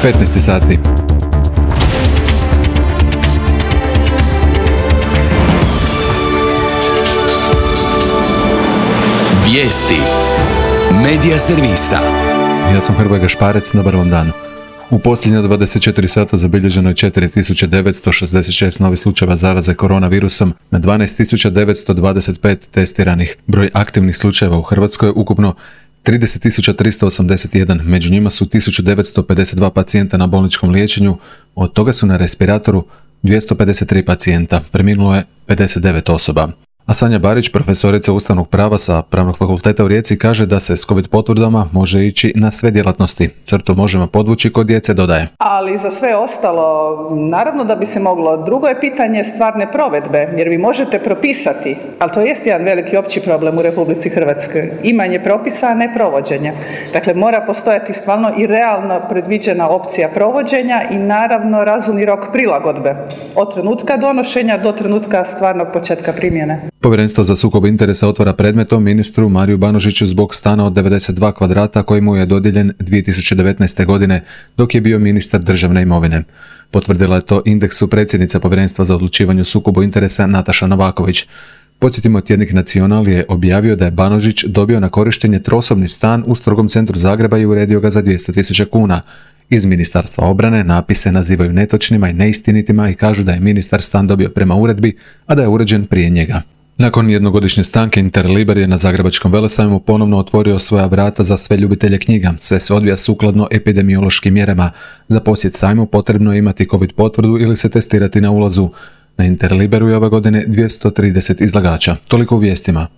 15 sati. Vijesti Medija servisa. Ja sam Hrvoje Gašparec, dobar vam dan. U posljednja 24 sata zabilježeno je 4966 novih slučajeva zaraze koronavirusom na 12925 testiranih. Broj aktivnih slučajeva u Hrvatskoj je ukupno 30.381, među njima su 1952 pacijenta na bolničkom liječenju, od toga su na respiratoru 253 pacijenta, preminulo je 59 osoba. A Sanja Barić, profesorica ustavnog prava sa Pravnog fakulteta u Rijeci, kaže da se s COVID potvrdama može ići na sve djelatnosti. Crtu možemo podvući kod djece, dodaje. Ali za sve ostalo, naravno da bi se moglo. Drugo je pitanje stvarne provedbe, jer vi možete propisati, ali to jest jedan veliki opći problem u Republici Hrvatskoj. Imanje propisa, a ne provođenja. Dakle, mora postojati stvarno i realno predviđena opcija provođenja i naravno razumni rok prilagodbe. Od trenutka donošenja do trenutka stvarnog početka primjene. Povjerenstvo za sukob interesa otvara predmet o ministru Mariju Banožiću zbog stana od 92 kvadrata koji mu je dodijeljen 2019. godine dok je bio ministar državne imovine. Potvrdila je to Indeksu predsjednica Povjerenstva za odlučivanje o sukobu interesa Nataša Novaković. Podsjetimo, tjednik Nacional je objavio da je Banožić dobio na korištenje trosobni stan u strogom centru Zagreba i uredio ga za 200.000 kuna. Iz Ministarstva obrane napise nazivaju netočnima i neistinitima i kažu da je ministar stan dobio prema uredbi, a da je uređen prije njega. Nakon jednogodišnje stanke, Interliber je na Zagrebačkom velesajmu ponovno otvorio svoja vrata za sve ljubitelje knjiga. Sve se odvija sukladno epidemiološkim mjerama. Za posjet sajmu potrebno je imati COVID potvrdu ili se testirati na ulazu. Na Interliberu je ove godine 230 izlagača. Toliko u vijestima.